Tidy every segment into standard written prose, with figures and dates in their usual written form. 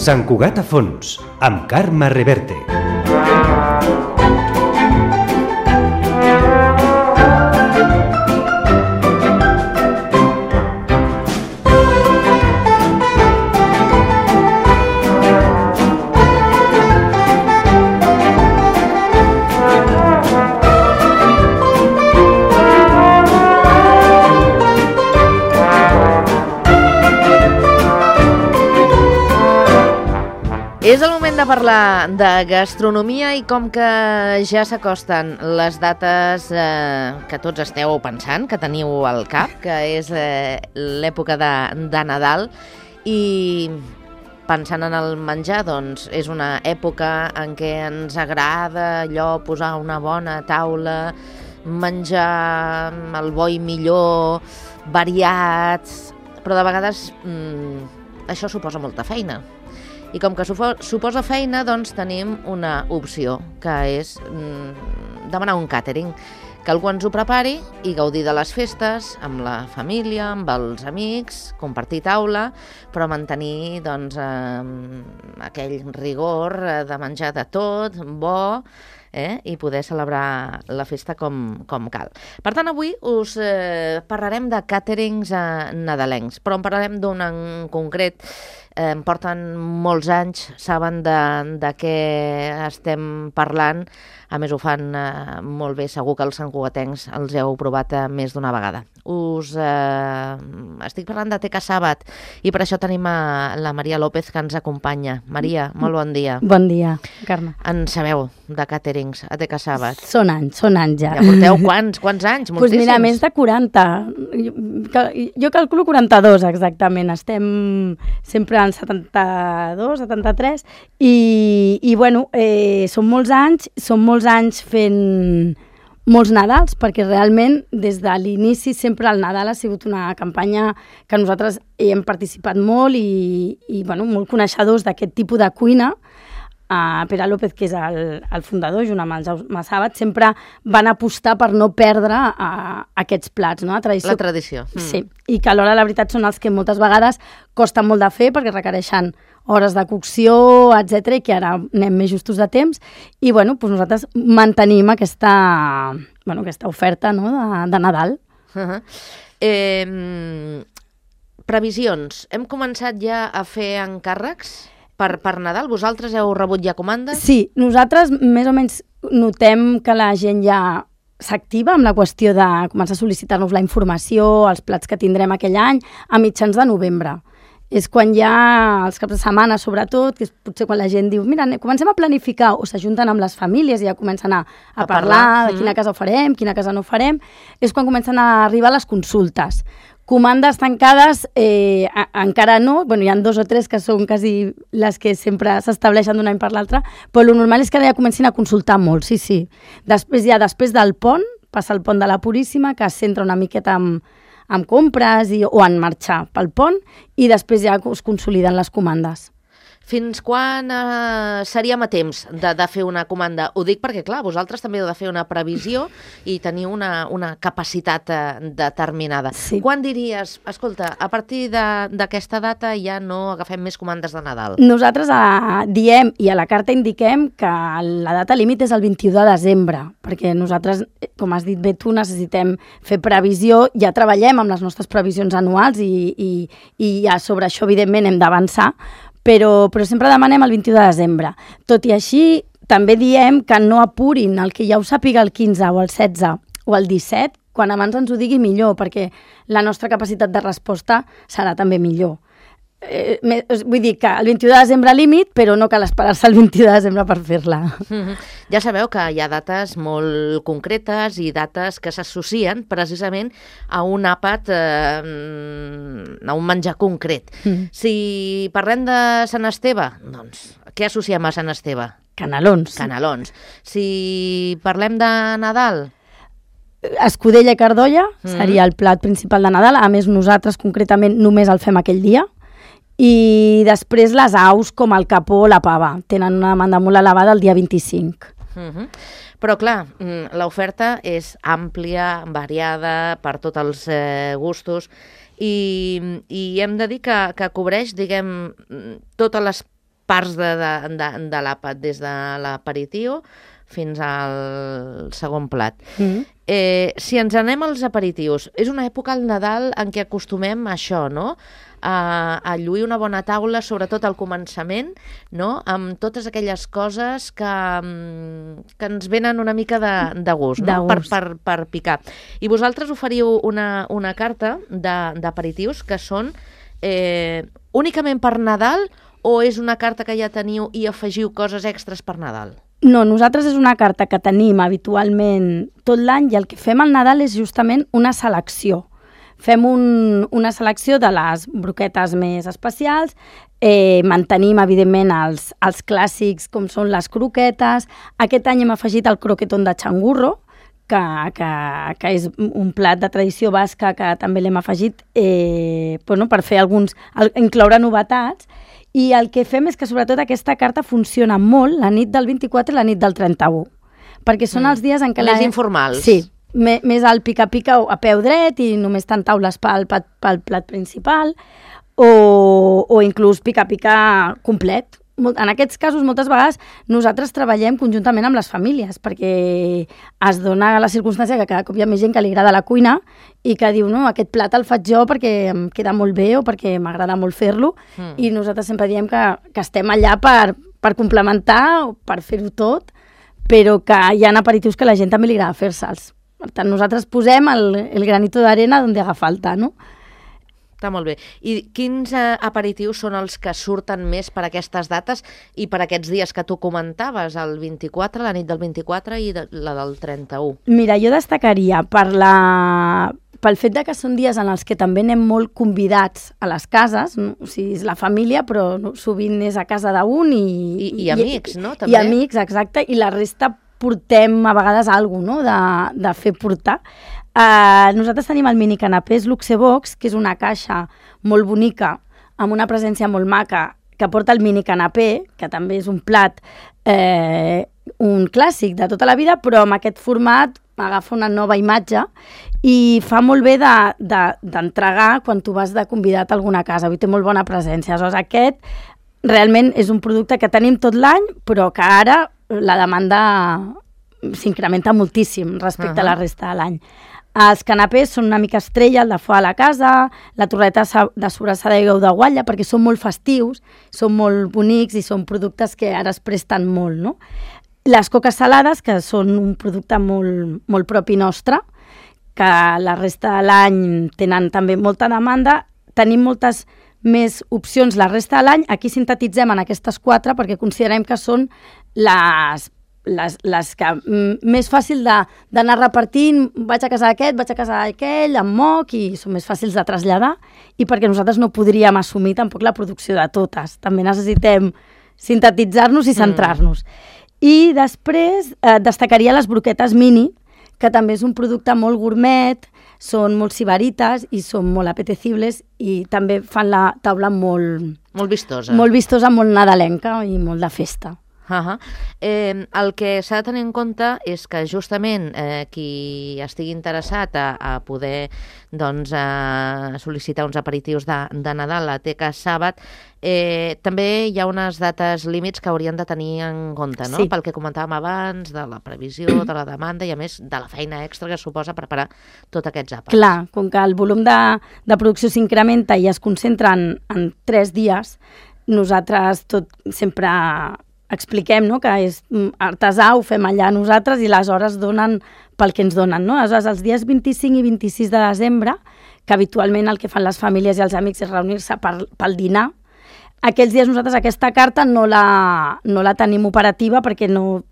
Sant Cugat a fons, amb Carme Reverte. És el moment de parlar de gastronomia i com que ja s'acosten les dates que tots esteu pensant, que teniu al cap, que és l'època de Nadal, i pensant en el menjar, doncs és una època en què ens agrada allò posar una bona taula, menjar el bo i millor, variats, però de vegades això suposa molta feina. I com que suposa feina, doncs tenim una opció, que és demanar un càtering, que algú ens ho prepari i gaudir de les festes amb la família, amb els amics, compartir taula, però mantenir doncs, aquell rigor de menjar de tot, bo, i poder celebrar la festa com cal. Per tant, avui us parlarem de càterings nadalencs, però en parlarem d'un en concret. Porten molts anys, saben de què estem parlant, a més ho fan molt bé, segur que els santcugatencs els heu provat més d'una vegada. Us estic parlant de Teca Sàbat i per això tenim la Maria López que ens acompanya. Maria, molt bon dia. Bon dia, Carme. En sabeu de càterings a Teca Sàbat? Són anys ja. Ja porteu quants anys? Moltíssims? Doncs mira, més de 40. Jo calculo 42 exactament. Estem sempre en 72, 73 i bueno, són molts anys fent molts Nadals, perquè realment des de l'inici sempre el Nadal ha sigut una campanya que nosaltres hem participat molt i bueno, molt coneixedors d'aquest tipus de cuina. Pere López, que és el fundador, junt amb el Jaume Sàbat, sempre van apostar per no perdre aquests plats, no? La tradició. Sí, i que alhora la veritat són els que moltes vegades costen molt de fer perquè requereixen hores de cocció, etc, i que ara anem més justos de temps, i bueno, doncs nosaltres mantenim aquesta oferta, no, de Nadal. Previsions. Hem començat ja a fer encàrrecs per Nadal? Vosaltres heu rebut ja comandes? Sí, nosaltres més o menys notem que la gent ja s'activa amb la qüestió de començar a sol·licitar-nos la informació, els plats que tindrem aquell any, a mitjans de novembre. És quan ja, els caps de setmana sobretot, que és potser quan la gent diu mira, comencem a planificar, o s'ajunten amb les famílies i ja comencen a parlar de quina casa ho farem, quina casa no ho farem, és quan comencen a arribar les consultes. Comandes tancades encara no, bueno, hi ha 2 o 3 que són quasi les que sempre s'estableixen d'un any per l'altre, però el normal és que ja comencin a consultar molt, sí. Després del pont, passa el pont de la Puríssima, que es centra una miqueta amb compres o en marxar pel pont, i després ja es consoliden les comandes. Fins quan seríem a temps de fer una comanda? Ho dic perquè, clar, vosaltres també heu de fer una previsió i teniu una capacitat determinada. Sí. Quan diries, escolta, a partir d'aquesta data ja no agafem més comandes de Nadal? Nosaltres diem, i a la carta indiquem, que la data límit és el 21 de desembre, perquè nosaltres, com has dit bé tu, necessitem fer previsió, ja treballem amb les nostres previsions anuals i ja sobre això, evidentment, hem d'avançar, però sempre demanem el 21 de desembre. Tot i així, també diem que no apurin el que ja ho sàpiga el 15 o el 16 o el 17, quan abans ens ho digui millor, perquè la nostra capacitat de resposta serà també millor. Vull dir que el 21 de desembre límit, però no cal esperar-se el 21 de desembre per fer-la. Ja sabeu que hi ha dates molt concretes i dates que s'associen precisament a un àpat, a un menjar concret. Si parlem de Sant Esteve, doncs, què associem a Sant Esteve? Canelons. Si parlem de Nadal, escudella i cardolla seria el plat principal de Nadal. A més, nosaltres concretament només el fem aquell dia. I després les aus, com el capó o la pava, tenen una demanda molt elevada el dia 25. Però clar, l'oferta és àmplia, variada, per tots els gustos, i hem de dir que cobreix, diguem, totes les parts de l'àpat, des de l'aperitiu fins al segon plat. Si ens anem als aperitius, és una època al Nadal en què acostumem a això, no? A lluir una bona taula, sobretot al començament, no? Amb totes aquelles coses que ens venen una mica de gust, no? Per picar. I vosaltres oferiu una carta d'aperitius que són únicament per Nadal, o és una carta que ja teniu i afegiu coses extres per Nadal? No, nosaltres és una carta que tenim habitualment tot l'any i el que fem al Nadal és justament una selecció. Fem una selecció de les broquetes més especials, mantenim, evidentment, els clàssics com són les croquetes. Aquest any hem afegit el croquetón de xangurro, que és un plat de tradició basca que també l'hem afegit per fer incloure novetats. I el que fem és que, sobretot, aquesta carta funciona molt la nit del 24 i la nit del 31, perquè són els dies en què... Més informals. Sí, més al pica-pica a peu dret i només tant taules pel plat principal o inclús pica-pica complet. En aquests casos, moltes vegades, nosaltres treballem conjuntament amb les famílies perquè es dona la circumstància que cada cop hi ha més gent que li agrada la cuina i que diu, no, aquest plat el faig jo perquè em queda molt bé o perquè m'agrada molt fer-lo i nosaltres sempre diem que estem allà per complementar o per fer-ho tot, però que hi ha aperitius que a la gent també li agrada fer-se'ls. Per tant, nosaltres posem el granito d'arena on haga falta, no? Està molt bé. I quins aperitius són els que surten més per aquestes dates i per aquests dies que tu comentaves, el 24, la nit del 24 i la del 31? Mira, jo destacaria pel fet de que són dies en els que també anem molt convidats a les cases, no? O sigui, és la família, però sovint és a casa d'un I amics, no? També. I amics, exacte, i la resta portem a vegades alguna cosa, no? de fer portar. Nosaltres tenim el mini canapés Luxebox, que és una caixa molt bonica, amb una presència molt maca, que porta el mini canapé, que també és un plat, un clàssic de tota la vida, però amb aquest format agafa una nova imatge i fa molt bé d'entregar quan tu vas de convidat a alguna casa. Té molt bona presència. Aleshores, aquest realment és un producte que tenim tot l'any, però que ara la demanda s'incrementa moltíssim respecte a la resta de l'any. Els canapés són una mica estrella, el de foie a la casa, la torreta de sobrassada i ou de guatlla, perquè són molt festius, són molt bonics i són productes que ara es presten molt, no? Les coques salades, que són un producte molt, molt propi nostre, que la resta de l'any tenen també molta demanda. Tenim moltes més opcions la resta de l'any. Aquí sintetitzem en aquestes 4 perquè considerem que són les que més fàcil d'anar repartint, vaig a casa d'aquest, vaig a casa d'aquell, amb moc, i són més fàcils de traslladar, i perquè nosaltres no podríem assumir tampoc la producció de totes. També necessitem sintetitzar-nos i centrar-nos. I després destacaria les broquetes mini, que també és un producte molt gourmet, són molt sibarites i són molt apetecibles i també fan la taula molt... Molt vistosa. Molt vistosa, molt nadalenca i molt de festa. El que s'ha de tenir en compte és que justament qui estigui interessat a poder sol·licitar uns aperitius de Nadal a la Teca Sàbat, també hi ha unes dates límits que haurien de tenir en compte, no? Sí. Pel que comentàvem abans, de la previsió, de la demanda i a més de la feina extra que suposa preparar tots aquests àpats. Clar, com que el volum de producció s'incrementa i es concentra en 3 dies, nosaltres sempre expliquem, no?, que és artesà, ho fem allà nosaltres i les hores donen pel que ens donen, no? Aleshores, els dies 25 i 26 de desembre, que habitualment el que fan les famílies i els amics és reunir-se pel dinar, aquells dies nosaltres aquesta carta no la tenim operativa perquè no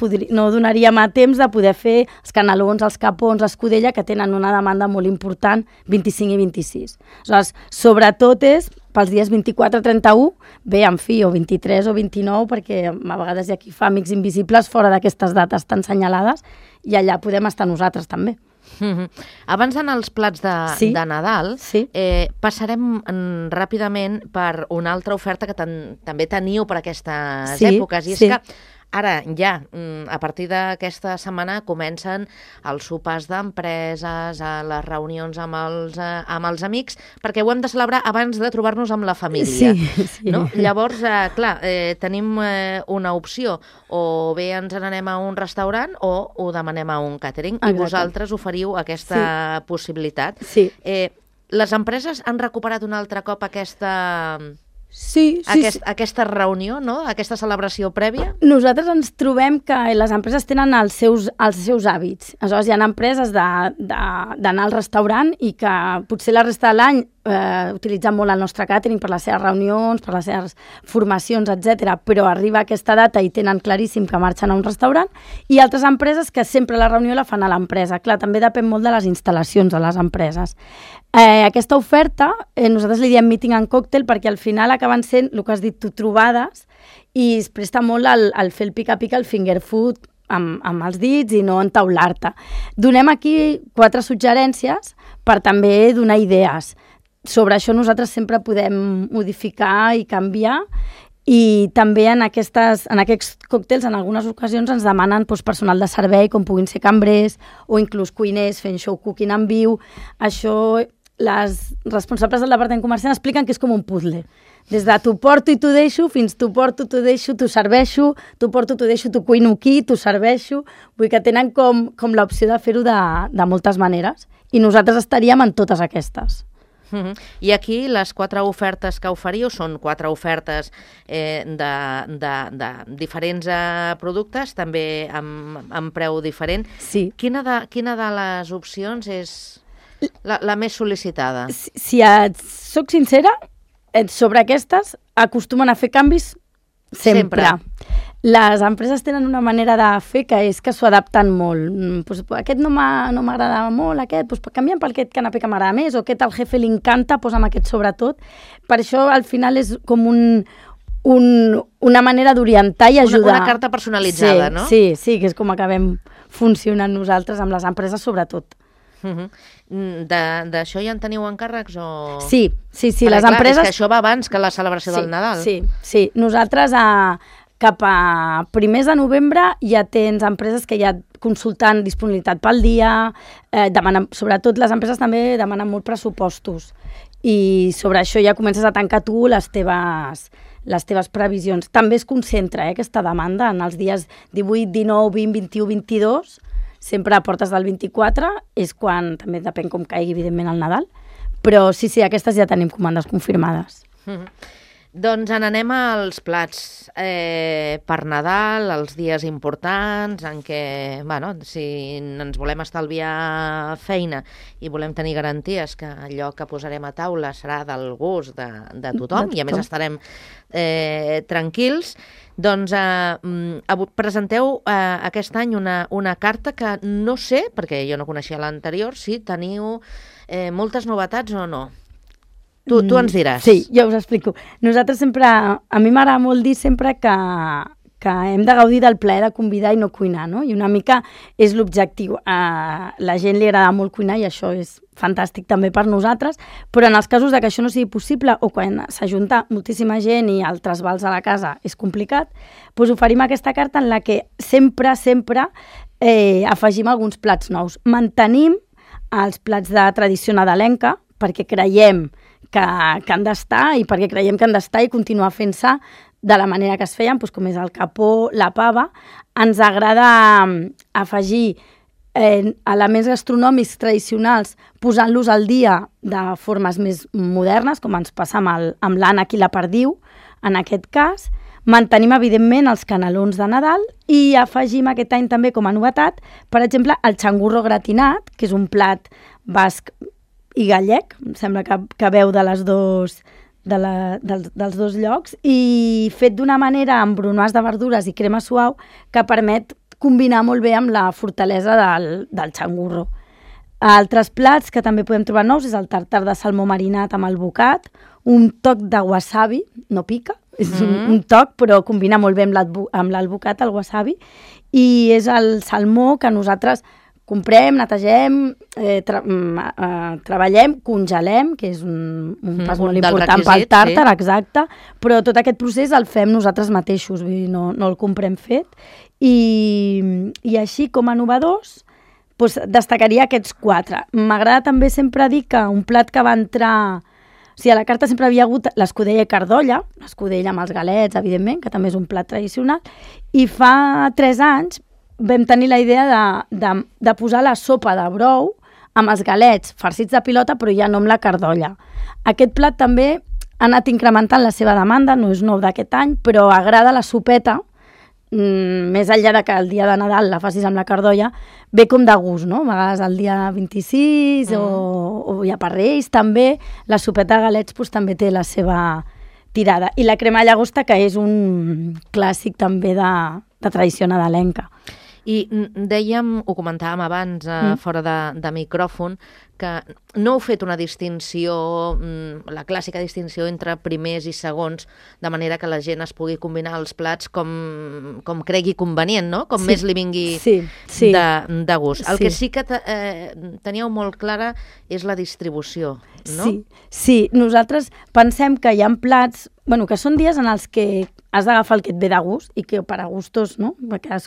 donaríem a temps de poder fer els canelons, els capons, l'escudella, que tenen una demanda molt important 25 i 26. Aleshores, sobretot és pels dies 24, 31, bé, en fi, o 23 o 29, perquè a vegades hi ha qui fa amics invisibles fora d'aquestes dates tan senyalades i allà podem estar nosaltres també. Abans d'anar als plats de Nadal, passarem ràpidament per una altra oferta que també teniu per aquestes èpoques, i és que Ara ja, a partir d'aquesta setmana comencen els sopars d'empreses, les reunions amb els amics, perquè ho hem de celebrar abans de trobar-nos amb la família. Sí. No? Llavors, clar, tenim una opció, o bé ens n'anem a un restaurant o ho demanem a un catering, i vosaltres oferiu aquesta possibilitat. Sí. Les empreses han recuperat un altre cop aquesta reunió, no? Aquesta celebració prèvia? Nosaltres ens trobem que les empreses tenen els seus hàbits. Aleshores, hi ha empreses d'anar al restaurant i que potser la resta de l'any utilitzen molt el nostre càtering per les seves reunions, per les seves formacions, etc. Però arriba aquesta data i tenen claríssim que marxen a un restaurant, i altres empreses que sempre la reunió la fan a l'empresa. Clar, també depèn molt de les instal·lacions de les empreses. Aquesta oferta, nosaltres li diem meeting and cocktail perquè al final acaben sent, el que has dit tu, trobades, i es presta molt al fer el pica-pica, el finger food, amb els dits i no entaular-te. Donem aquí 4 suggerències per també donar idees. Sobre això nosaltres sempre podem modificar i canviar, i també en aquests còctels en algunes ocasions ens demanen personal de servei, com puguin ser cambrers o inclús cuiners fent show cooking en viu. Això les responsables del departament comercial expliquen que és com un puzzle. Des de t'ho porto i t'ho deixo, fins t'ho porto, t'ho deixo, t'ho serveixo, t'ho porto, t'ho deixo, t'ho cuino aquí, t'ho serveixo. Vull que tenen com l'opció de fer-ho de moltes maneres, i nosaltres estaríem en totes aquestes. I aquí les 4 ofertes que oferiu són 4 ofertes de diferents productes, també amb preu diferent. Sí. Quina de les opcions és la més sol·licitada? Si et soc sincera, sobre aquestes acostumen a fer canvis sempre. Les empreses tenen una manera de fer que és que s'ho adapten molt. Aquest no m'agrada molt, aquest, canviem per aquest canapé que m'agrada més, o aquest al jefe li encanta, posa'm aquest sobretot. Per això al final és com una manera d'orientar i ajudar. Una carta personalitzada, no? Sí, que és com acabem funcionant nosaltres amb les empreses sobretot. D'això ja en teniu encàrrecs? Sí, les empreses... És que això va abans que la celebració del Nadal. Sí. Nosaltres cap a primers de novembre ja tens empreses que ja consultant disponibilitat pel dia, sobretot les empreses també demanen molt pressupostos, i sobre això ja comences a tancar tu les teves previsions. També es concentra aquesta demanda en els dies 18, 19, 20, 21, 22, sempre a portes del 24, és quan també depèn com caigui evidentment el Nadal, però sí, aquestes ja tenim comandes confirmades. Doncs n'anem als plats per Nadal, els dies importants en què, si ens volem estalviar feina i volem tenir garanties que allò que posarem a taula serà del gust de tothom, i a més estarem tranquils, doncs presenteu aquest any una carta que no sé, perquè jo no coneixia l'anterior, si teniu moltes novetats o no. Tu ens diràs. Sí, jo us explico. Nosaltres sempre, a mi m'agrada molt dir sempre que hem de gaudir del plaer de convidar i no cuinar, no? I una mica és l'objectiu. A la gent li agrada molt cuinar i això és fantàstic també per nosaltres, però en els casos de que això no sigui possible o quan s'ajunta moltíssima gent i el trasbals a la casa és complicat, doncs oferim aquesta carta en la que sempre afegim alguns plats nous. Mantenim els plats de tradició nadalenca perquè creiem que han d'estar i perquè creiem que han d'estar i continuar fent-se de la manera que es feien, com és el capó, la pava. Ens agrada afegir elements gastronòmics tradicionals posant-los al dia de formes més modernes, com ens passa amb l'ànec i la perdiu, en aquest cas. Mantenim, evidentment, els canelons de Nadal i afegim aquest any també com a novetat, per exemple, el xangurro gratinat, que és un plat basc i gallec, em sembla que veu dels dos llocs, i fet d'una manera amb bronoise de verdures i crema suau que permet combinar molt bé amb la fortalesa del xangurro. Altres plats que també podem trobar nous és el tartar de salmó marinat amb el bocat, un toc de wasabi, no pica, és un toc, però combina molt bé amb l'albocat, el wasabi, i és el salmó que nosaltres Comprem, netegem, treballem, congelem, que és un pas molt important pel tàrtar, exacte, però tot aquest procés el fem nosaltres mateixos, vull dir, no el comprem fet. I així, com a innovadors, doncs destacaria aquests 4. M'agrada també sempre dir que un plat que va entrar... O sigui, a la carta sempre havia hagut l'escudella i cardolla, l'escudella amb els galets, evidentment, que també és un plat tradicional, i fa 3 anys vam tenir la idea de posar la sopa de brou amb els galets farcits de pilota, però ja no amb la cardolla. Aquest plat també ha anat incrementant la seva demanda, no és nou d'aquest any, però agrada la sopeta, més enllà de que el dia de Nadal la facis amb la cardolla, ve com de gust, no? A vegades el dia 26 o ja per Reis també, la sopeta de galets doncs, també té la seva tirada. I la crema llagosta, que és un clàssic també de tradició nadalenca. I dèiem, ho comentàvem abans, fora de micròfon, que no heu fet una distinció, la clàssica distinció entre primers i segons, de manera que la gent es pugui combinar els plats com cregui convenient, no? Com més li vingui de gust. El que sí que teníeu molt clara és la distribució, no? Sí, nosaltres pensem que hi ha plats, que són dies en els que has d'agafar el que et ve de gust i que per a gustos, no?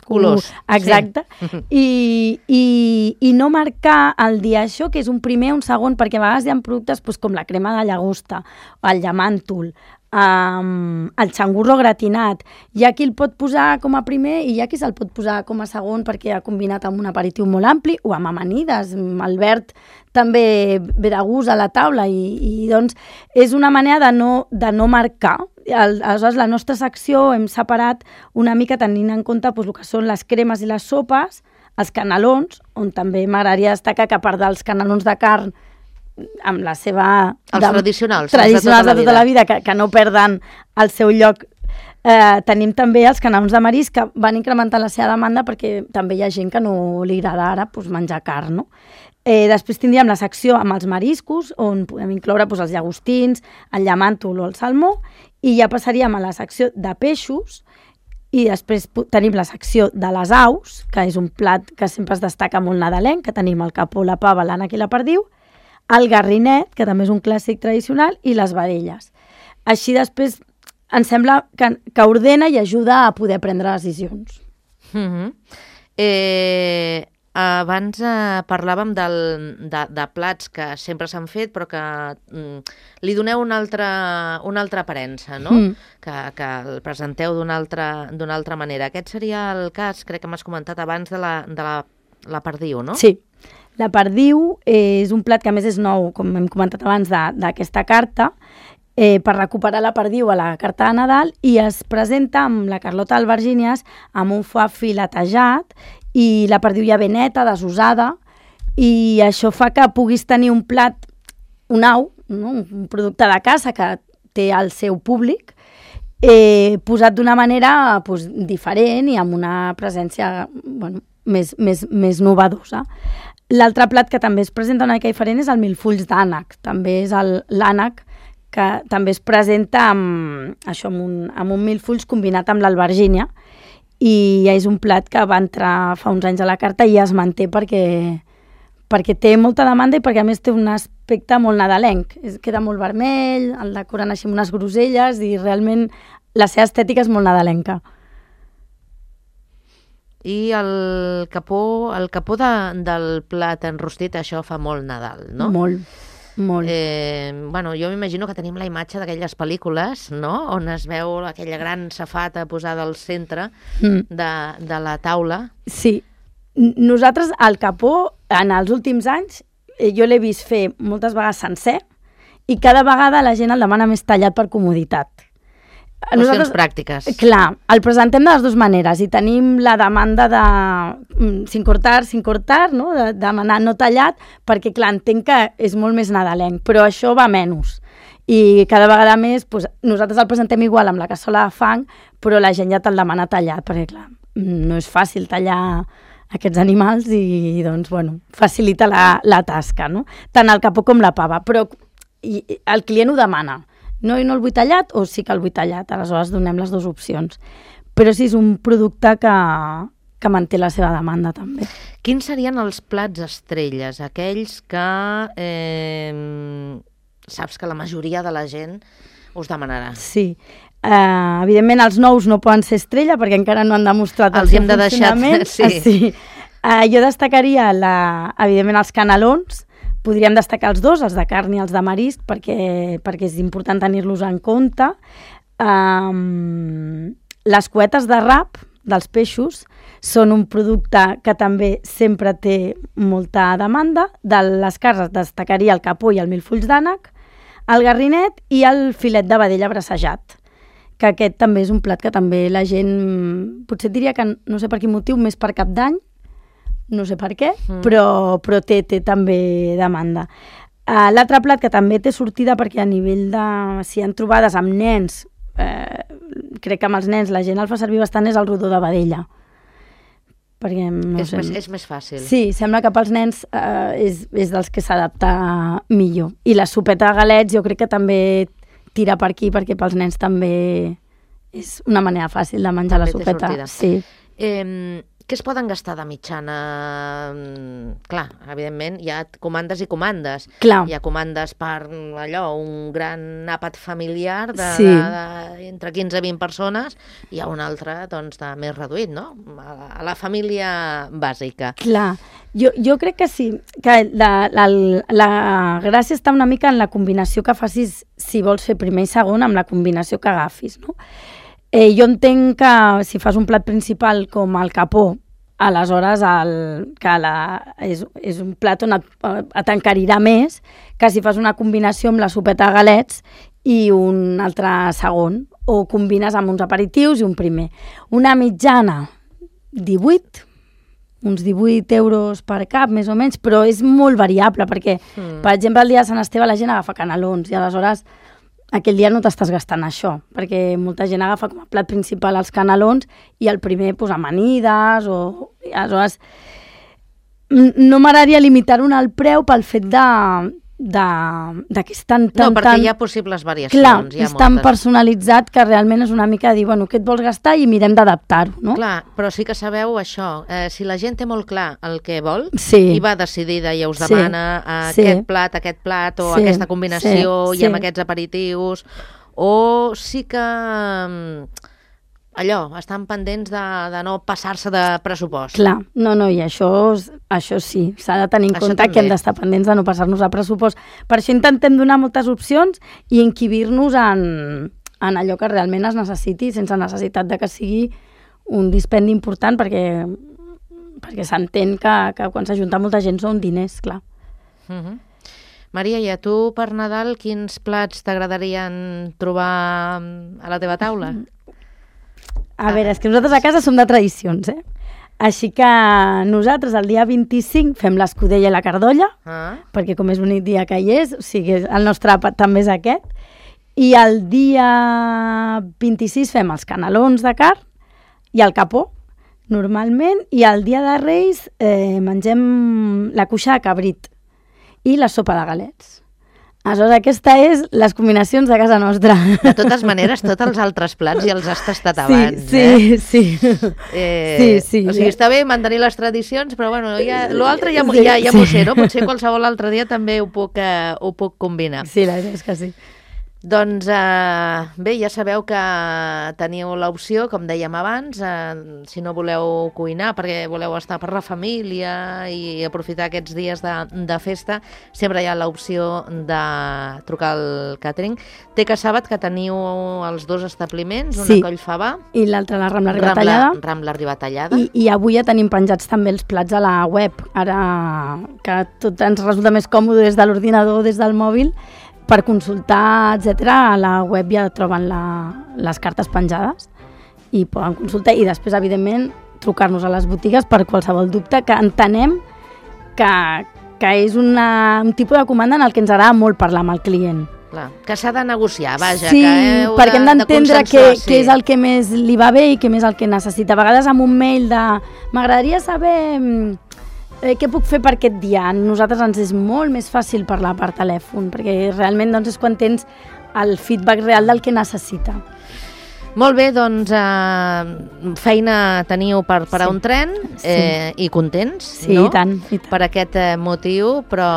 Colors. Exacte. Sí. I no marcar el dia això, que és un primer o un segon, perquè a vegades hi ha productes com la crema de llagosta, el llamàntol, el xangurro gratinat. Hi ha qui el pot posar com a primer i hi ha qui se'l pot posar com a segon perquè ha combinat amb un aperitiu molt ampli o amb amanides. El verd també ve de gust a la taula i doncs és una manera de no marcar. Aleshores, la nostra secció hem separat una mica tenint en compte el que són les cremes i les sopes, els canelons, on també m'agradaria destacar que a part dels canelons de carn amb la seva... Els tradicionals de tota la vida, que no perden el seu lloc. Tenim també els canelons de marisc que van incrementar la seva demanda perquè també hi ha gent que no li agrada ara menjar carn, no? Després tindríem la secció amb els mariscos, on podem incloure els llagostins, el llamàntol o el salmó, i ja passaríem a la secció de peixos, i després tenim la secció de les aus, que és un plat que sempre es destaca molt nadalenc, que tenim el capó, la pava, l'ànec i la perdiu, el garrinet, que també és un clàssic tradicional, i les vedelles. Així després ens sembla que ordena i ajuda a poder prendre decisions. Abans parlàvem de plats que sempre s'han fet però que li doneu una altra aparença, no? Que el presenteu d'una altra manera. Aquest seria el cas, crec que m'has comentat abans, de la perdiu, no? Sí. La perdiu és un plat que a més és nou, com hem comentat abans, d'aquesta carta, per recuperar la perdiu a la carta de Nadal, i es presenta amb la Carlota Albergínies amb un foie filetejat i la perdiu ja ben neta, desusada, i això fa que puguis tenir un plat, un au, no? Un producte de casa que té el seu públic, posat d'una manera diferent i amb una presència més novedosa. L'altre plat que també es presenta una mica diferent és el milfulls d'ànec. També és l'ànec que també es presenta amb un milfulls combinat amb l'albergínia, i és un plat que va entrar fa uns anys a la carta i ja es manté perquè té molta demanda i perquè a més té un aspecte molt nadalenc. Queda molt vermell, el decoren així amb unes groselles i realment la seva estètica és molt nadalenca. I el capó del plat enrostit, això fa molt Nadal, no? Molt. Jo m'imagino que tenim la imatge d'aquelles pel·lícules, no?, on es veu aquella gran safata posada al centre de la taula. Sí. Nosaltres, el capó, en els últims anys, jo l'he vist fer moltes vegades sencer i cada vegada la gent el demana més tallat per comoditat. Qüestions pràctiques. Clar, el presentem de les dues maneres i tenim la demanda de sin cortar, no? De demanar no tallat, perquè clar, entenc que és molt més nadalenc, però això va menys. I cada vegada més, nosaltres el presentem igual amb la cassola de fang, però la gent ja te'l demana tallat, perquè clar, no és fàcil tallar aquests animals i doncs, facilita la tasca, no? Tant el capó com la pava, però el client ho demana. No el vull tallat o sí que el vull tallat, aleshores donem les dues opcions. Però sí, és un producte que que manté la seva demanda també. Quins serien els plats estrelles, aquells que saps que la majoria de la gent us demanarà? Sí. Evidentment, els nous no poden ser estrella perquè encara no han demostrat el seu funcionament. Sí. Jo destacaria, evidentment, els canelons. Podríem destacar els dos, els de carn i els de marisc, perquè és important tenir-los en compte. Les cuetes de rap dels peixos són un producte que també sempre té molta demanda. De les carns destacaria el capó i el milfolls d'ànec, el garrinet i el filet de vedella brassejat, que aquest també és un plat que també la gent, potser diria que no sé per quin motiu, més per Cap d'Any, no sé per què, però té també demanda. L'altre plat que també té sortida, perquè a nivell de... si hi ha trobades amb nens, crec que amb els nens la gent el fa servir bastant, és el rodó de vedella. Perquè, és més fàcil. Sí, sembla que pels nens és dels que s'adapta millor. I la sopeta de galets jo crec que també tira per aquí, perquè pels nens també és una manera fàcil de menjar la sopeta. Sí. Què es poden gastar de mitjana? Clar, evidentment, hi ha comandes i comandes. Clar. Hi ha comandes per un gran àpat familiar entre 15 i 20 persones, i hi ha un altre de més reduït, no? A la família bàsica. Clar, jo crec que sí, que la gràcia està una mica en la combinació que facis, si vols fer primer i segon, amb la combinació que agafis, no? Jo entenc que si fas un plat principal com el capó, aleshores és un plat on t'encarirà més que si fas una combinació amb la sopeta de galets i un altre segon, o combines amb uns aperitius i un primer. Una mitjana, 18, uns 18 euros per cap, més o menys, però és molt variable, perquè, per exemple, el dia de Sant Esteve la gent agafa canelons i aleshores aquell dia no t'estàs gastant això, perquè molta gent agafa com a plat principal els canelons i el primer amanides, i aleshores no m'agradaria limitar-ho al preu pel fet que és tan... No, perquè hi ha possibles variacions. Clar, és tan personalitzat que realment és una mica dir, bueno, què et vols gastar i mirem d'adaptar-ho, no? Clar, però sí que sabeu això, si la gent té molt clar el que vol i va decidida i us demana aquest plat o aquesta combinació i amb aquests aperitius, o sí que... estan pendents de no passar-se de pressupost. Clar, no, i això sí, s'ha de tenir en compte que hem d'estar pendents de no passar-nos a pressupost. Per això intentem donar moltes opcions i encabir-nos en allò que realment es necessiti, sense necessitat de que sigui un dispendi important, perquè s'entén que quan s'ajunta molta gent són diners, clar. Maria, i a tu per Nadal quins plats t'agradarien trobar a la teva taula? A veure, és que nosaltres a casa som de tradicions, Així que nosaltres el dia 25 fem l'escudella i la cardolla, perquè com és l'únic dia que hi és, o sigui, el nostre àpat també és aquest, i el dia 26 fem els canelons de carn i el capó, normalment, i el dia de Reis mengem la cuixa de cabrit i la sopa de galets. Aleshores, aquesta és les combinacions de casa nostra. De totes maneres, tots els altres plats ja els has tastat abans, Sí. O sigui, està bé mantenir les tradicions, però bueno, l'altre ja m'ho sé, no? Potser qualsevol altre dia també ho puc combinar. Sí, la veritat és que sí. Doncs bé, ja sabeu que teniu l'opció, com dèiem abans, si no voleu cuinar perquè voleu estar per la família i aprofitar aquests dies de festa, sempre hi ha l'opció de trucar al càtering. Té que Sàbat que teniu els dos establiments, una a Collfabà i l'altra a la Rambla Ribatallada. Rambla Ribatallada. I avui ja tenim penjats també els plats a la web, ara que tot ens resulta més còmode des de l'ordinador, des del mòbil, per consultar, etc. A la web ja troben les cartes penjades i poden consultar, i després, evidentment, trucar-nos a les botigues per qualsevol dubte, que entenem que és un tipus de comanda en el que ens agrada molt parlar amb el client. Clar, que s'ha de negociar, vaja. Sí, perquè hem d'entendre què és el que més li va bé i què més el que necessita. A vegades amb un mail de m'agradaria saber... què puc fer per aquest dia? A nosaltres ens és molt més fàcil parlar per telèfon, perquè realment és quan tens el feedback real del que necessita. Molt bé, doncs feina teniu per parar un tren i contents, sí, no? I tant. Per aquest motiu, però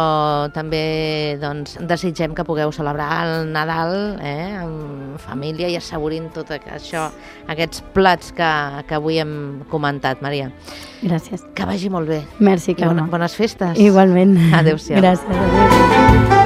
també doncs, desitgem que pugueu celebrar el Nadal amb família i assaborint tot això, aquests plats que avui hem comentat, Maria. Gràcies. Que vagi molt bé. Merci, Carme. I bones festes. Igualment. Adéu-siau. Gràcies. Adéu.